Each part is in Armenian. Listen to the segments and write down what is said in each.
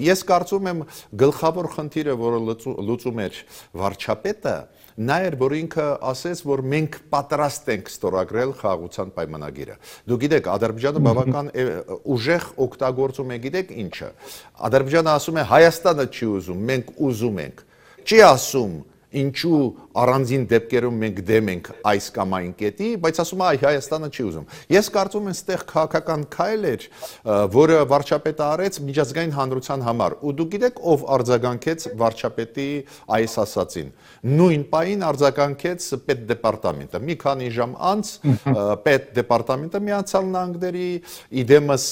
Ես կարծում եմ գլխավոր խնդիրը, որը լուծում էր վարչապետը, նա էր, որ ինքը ասեց, որ մենք պատրաստ ենք ստորագրել խաղաղության պայմանագիրը։ Դու գիտեք, Ադրբեջանը բավական ուժեղ օգտագործում է, գիտեք ինչը։ Ադրբեջանը ասում է Հայաստանը չի ուզում, մենք ուզում ենք։ Չի ասում ինչու առանձին դեպքերում մենք դեմ ենք այս կամ այն կետի, բայց ասում է Հայաստանը չի ուզում։ Ես կարծում եմ, այստեղ քաղաքական քայլ էր, որը վարչապետը արեց միջազգային հանրության համար։ Ու դու գիտեք, ով արձագանքեց վարչապետի այս ասածին։ Նույն պահին արձագանքեց պետդեպարտամենտը։ Մի քանի ժամ անց պետդեպարտամենտը Միացյալ Նահանգների իդեմս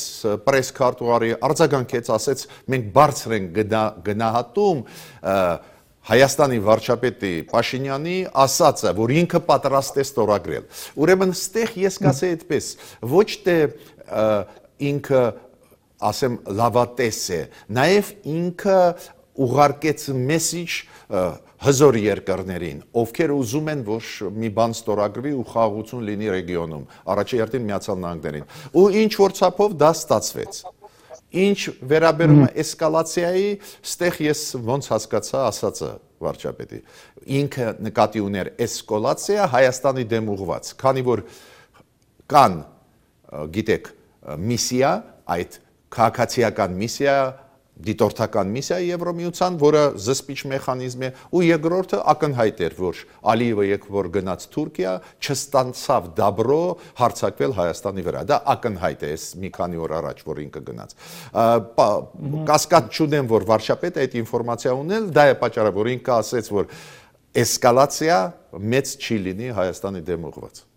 պրեսքարտուղարի արձագանքեց, ասեց մենք բարձր ենք գնահատում Հայաստանի վարչապետի Փաշինյանի ասածը, որ ինքը պատրաստ է ստորագրել։ Ուրեմն ստեղ ես կասեի այդպես, ոչ թե ինքը, ասեմ, լավատես է, նաև ինքը ուղարկեց մեսիջ հզոր երկրներին, ովքեր ուզում են, որ մի բան ստորագրվի ու խաղաղություն լինի ռեգիոնում, առաջին Միացյալ Նահանգներին։ Ու ինչ որ չափով դա ստացվեց։ Ինչ վերաբերում է էսկալացիայի, ստեղ ես ոնց հասկացա ասածը վարչապետի։ Ինքը նկատի ուներ էսկալացիա Հայաստանի դեմ ուղղված, քանի որ կան, գիտեք, միսիա, այդ քաղաքացիական միսիա, դիտորդական միսիա Եվրոմիության, որը զսպիչ մեխանիզմ է, ու երկրորդը ակնհայտ էր, որ Ալիևը երբ որ գնաց Թուրքիա, չստացավ դաբրո հարձակվել Հայաստանի վրա։ Դա ակնհայտ է, մի քանի օր առաջ, որ ինքը գնաց։ Կասկած չունեմ, որ վարչապետը այդ ինֆորմացիա ունել, դա է պատճառը, որ ինքը ասեց, որ էսկալացիա մեծ չի լինի Հայաստանի դեմ ուղղված։